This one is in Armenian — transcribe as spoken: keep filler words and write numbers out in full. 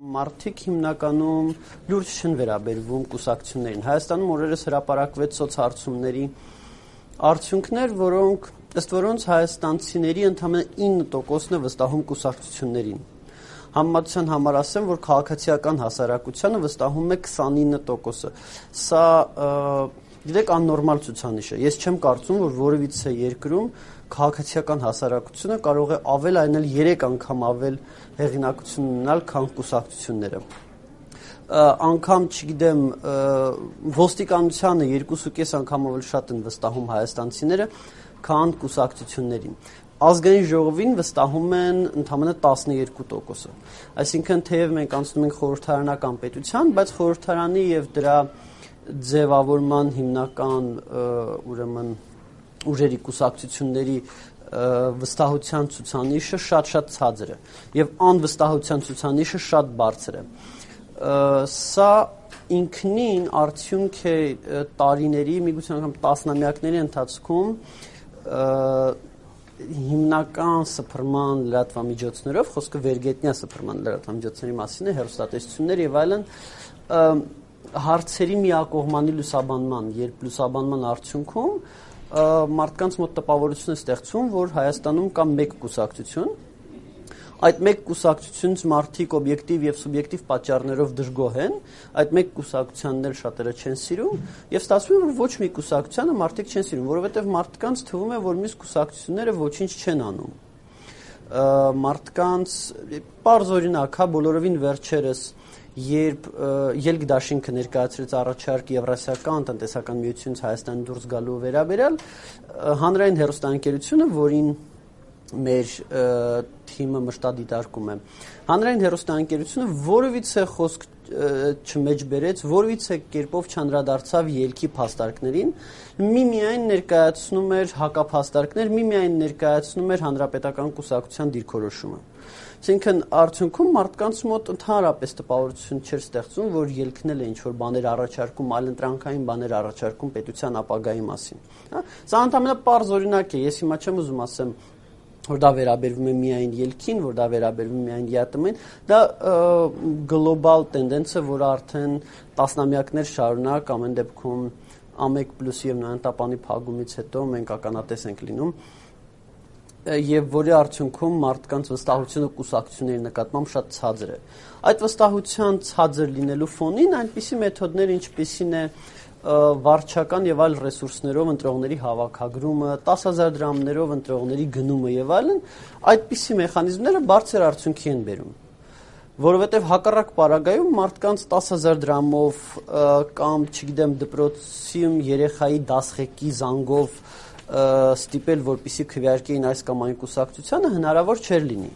Մարդիկ հիմնականում լուրջ չեն վերաբերվում կուսակցություններին։ Հայաստանում օրերս հրապարակվեց սոցհարցումների արդյունքներ, որոնք ըստ որոնց հայաստանցիների ընդամենը ինը տոկոսն է վստահում կուսակցություններին։ Համեմատության համար ասեմ, որ քաղաքացիական հասարակությանը վստահում է քսանինը տոկոսը։ Սա գիտեք աննորմալ ցուցանիշ է։ Ես չեմ կարծում, որ որևիցե երկրում քաղաքացիական հասարակությունը կարող է ավել այնել երեք անգամ ավել հեղինակություն ունենալ, քան կուսակցությունները։ Անգամ, չգիտեմ, ոստիկանությանը երկուսուկես անգամ ավելի շատ են վստահում հայաստանցիները, քան կուսակցություններին։ Ազգային ժողովին վստահում են ընդամենը տասներկու տոկոսը։ Այսինքն, թեև մենք անցնում ենք խորհրդարանական պետության, բայց խորհրդարանի եւ դրա ձևավորման հիմնական ուրեմն ուժերի կուսակցությունների վստահության ցուցանիշը շատ-շատ ցածր է եւ անվստահության ցուցանիշը շատ բարձր է։ Սա ինքնին արդյունք է տարիների, միգուցե անգամ տասնամյակների ընթացքում հիմնական սփռման լրատվամիջոցներով, խոսքը վերգետնյա սփռման լրատվամիջոցների մասին է, հեռուստատեսություններ եւ այլն, հարցերի միակողմանի լուսաբանման, երբ լուսաբանման արդյունքում մարդկանց մոտ տպավորություն է ստեղծում, որ Հայաստանում կա մեկ կուսակցություն, այդ մեկ կուսակցությունից մարդիկ օբյեկտիվ եւ սուբյեկտիվ պատճառներով դժգոհ են, այդ մեկ կուսակցությանն էլ շատերը չեն սիրում, եւ ստացվում է, որ ոչ մի կուսակցությանը մարդիկ չեն սիրում, որովհետեւ մարդկանց թվում է, որ մյուս կուսակցությունները ոչինչ չեն անում։ Մարդկանց պարզ օրինակ, հա, բոլորովին վերջերս երբ ելք դաշինքը ներկայացրեց առաջարկ Եվրասիական տնտեսական միությունից Հայաստան դուրս գալու վերաբերյալ, հանրային հեռուստաընկերությունը, որին մեր թիմը մշտադիտարկում է, հանրային հեռուստաընկերությունը որևիցե խոսք չմեջբերեց, որևիցե կերպով չանդրադարձավ ելքի փաստարկներին, միմիայն ներկայացնում էր հակափաստարկներ, միմիայն ներկայացնում էր հանրապետական կուսակցության դիրքորոշումը։ Այսինքն արդյունքում մարդկանց մոտ ընդհանրապես տպավորություն չէր ստեղծում, որ ելքնել է ինչ-որ բաներ առաջարկում, այլընտրանքային բաներ առաջարկում պետության ապագայի մասին։ Սա ընդհանրապես պարզ օրինակ է, ես հիմա չեմ ուզում ասեմ, որ դա վերաբերվում է միայն ելքին, որ դա վերաբերվում է միայն ԵԱՏՄ-ին, դա գլոբալ տենդենս է, որը արդեն տասնամյակներ շարունակ ամեն դեպքում ամեկ պլյուս եւ նոյանտապանի փակումից հետո մենք ականատես ենք լինում, եւ որի արդյունքում մարդկանց վստահությունը կուսակցությունների նկատմամբ շատ ցածր է։ Այդ վստահության ցածր լինելու ֆոնին այնպիսի մեթոդներ, ինչպիսին է վարչական եւ այլ ռեսուրսներով ընտրողների հավաքագրումը, տասը հազար դրամներով ընտրողների գնումը եւ այլն, այդպիսի մեխանիզմները բարձր արդյունքի են բերում։ Որովհետեւ հակառակ պարագայում մարդկանց տասը հազար դրամով կամ, չգիտեմ, դպրոցում երեխայի դասղեկի զանգով ստիպել, որպեսզի քվեարկեին այս կամ այն կուսակցությանը հնարավոր չէր լինի։